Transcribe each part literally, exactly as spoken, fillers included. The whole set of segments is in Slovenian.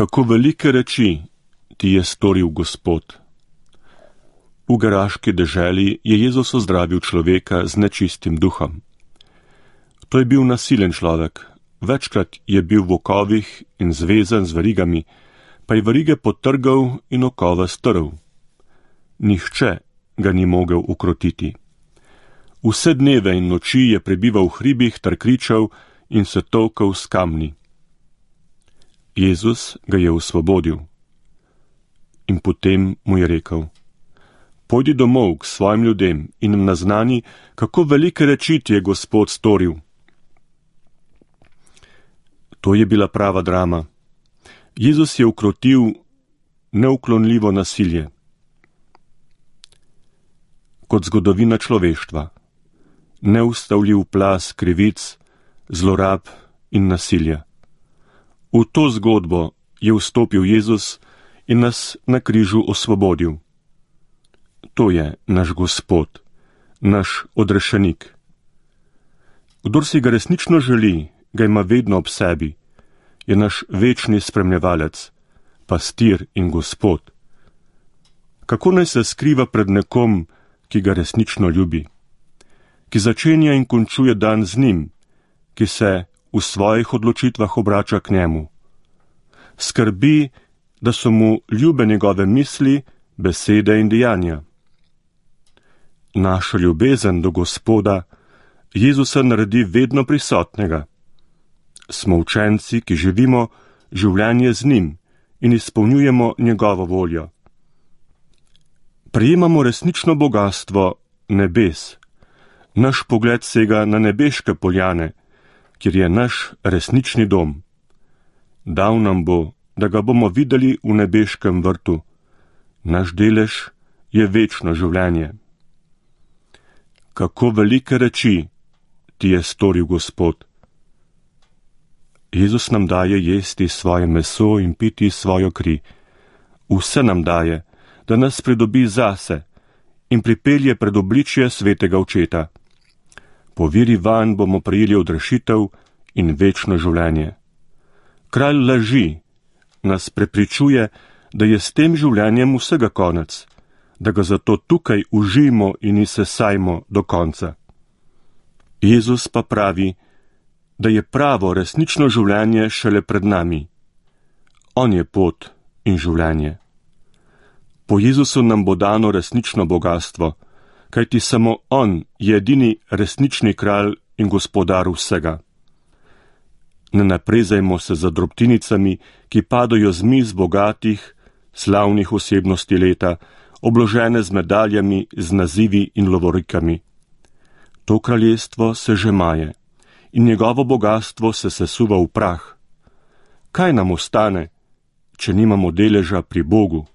Kako velike reči ti je storil Gospod. V geraški deželi je Jezus ozdravil človeka z nečistim duhom. To je bil nasilen človek, večkrat je bil v okovih in zvezan z verigami, pa je verige potrgal in okova strl. Nihče ga ni mogel ukrotiti. Vse dneve in noči je prebival v hribih ter kričal in se tolkal s kamni. Jezus ga je osvobodil. In potem mu je rekel: Pojdi domov k svojim ljudem in jim naznani, kako velike reči ti je Gospod storil. To je bila prava drama. Jezus je ukrotil neuklonljivo nasilje. Kot zgodovina človeštva, neustavljiv plaz krivic, zlorab in nasilja. V to zgodbo je vstopil Jezus in nas na križu osvobodil. To je naš Gospod, naš odrešenik. Kdor si ga resnično želi, ga ima vedno ob sebi, je naš večni spremljevalec, pastir in Gospod. Kako naj se skriva pred nekom, ki ga resnično ljubi, ki začenja in končuje dan z njim, ki se v svojih odločitvah obrača k njemu. Skrbi, da so mu ljube njegove misli, besede in dejanja. Naša ljubezen do Gospoda Jezusa naredi vedno prisotnega. Smo učenci, ki živimo življenje z njim in izpolnjujemo njegovo voljo. Prejemamo resnično bogastvo nebes. Naš pogled sega na nebeške poljane, kjer je naš resnični dom. Dal nam bo, da ga bomo videli v nebeškem vrtu. Naš delež je večno življenje. Kako velike reči ti je storil Gospod. Jezus nam daje jesti svoje meso in piti svojo kri. Vse nam daje, da nas pridobi zase in pripelje pred obličje svetega očeta. Po veri vanj bomo prejeli odrešitev in večno življenje. Kralj laži nas prepričuje, da je s tem življenjem vsega konec, da ga zato tukaj užijmo in izsesajmo do konca. Jezus pa pravi, da je pravo resnično življenje šele pred nami. On je pot in življenje. Po Jezusu nam bo dano resnično bogastvo, kajti samo on je edini resnični kralj in gospodar vsega. Ne naprezajmo se za drobtinicami, ki padajo z miz bogatih, slavnih osebnosti leta, obložene z medaljami, z nazivi in lovorikami. To kraljestvo se že maje in njegovo bogastvo se sesuva v prah. Kaj nam ostane, če nimamo deleža pri Bogu?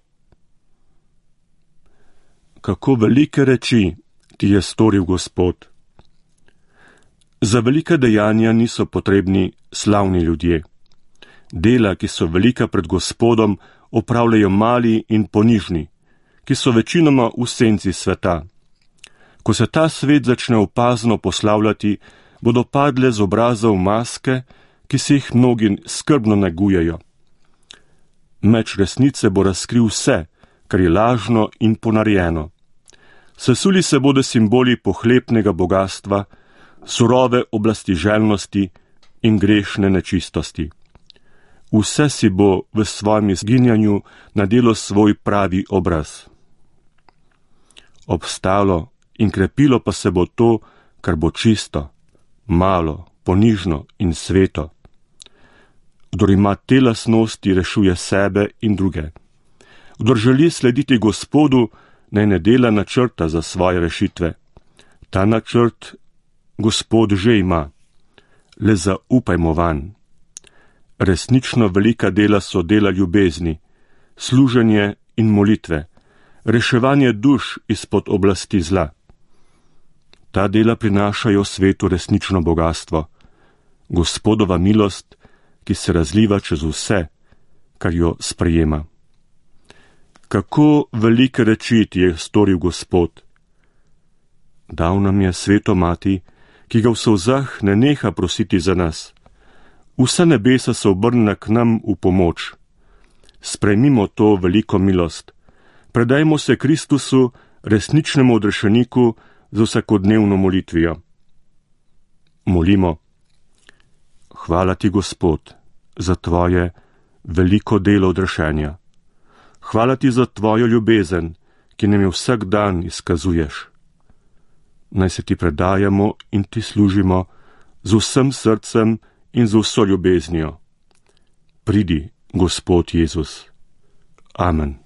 Kako velike reči ti je storil Gospod. Za velike dejanja niso potrebni slavni ljudje. Dela, ki so velika pred Gospodom, opravljajo mali in ponižni, ki so večinoma v senci sveta. Ko se ta svet začne opazno poslavljati, bodo padle z obrazov maske, ki se jih mnogi skrbno negujejo. Meč resnice bo razkril vse, kar je lažno in ponarejeno. Sesuli se bodo simboli pohlepnega bogastva, surove oblasti željnosti in grešne nečistosti. Vse si bo v svojem izginjanju nadelo svoj pravi obraz. Obstalo in krepilo pa se bo to, kar bo čisto, malo, ponižno in sveto. Kdor ima te lastnosti, rešuje sebe in druge. Kdor želi slediti Gospodu, naj ne dela načrta za svoje rešitve. Ta načrt Gospod že ima. Le zaupajmo vanj. Resnično velika dela so dela ljubezni, služenje in molitve, reševanje duš izpod oblasti zla. Ta dela prinašajo svetu resnično bogastvo, Gospodova milost, ki se razliva čez vse, kar jo sprejema. Kako velike reči ti je storil Gospod. Dal nam je sveto mati, ki ga v solzah ne neha prositi za nas. Vsa nebesa so obrnjena k nam v pomoč. sprejmimo to veliko milost. Predajmo se Kristusu, resničnemu odrešeniku, z vsakodnevno molitvijo. Molimo. Hvala ti, Gospod, za tvoje veliko delo odrešenja. Hvala ti za tvojo ljubezen, ki nam jo vsak dan izkazuješ. Naj se ti predajamo in ti služimo z vsem srcem in z vso ljubeznijo. Pridi, Gospod Jezus. Amen.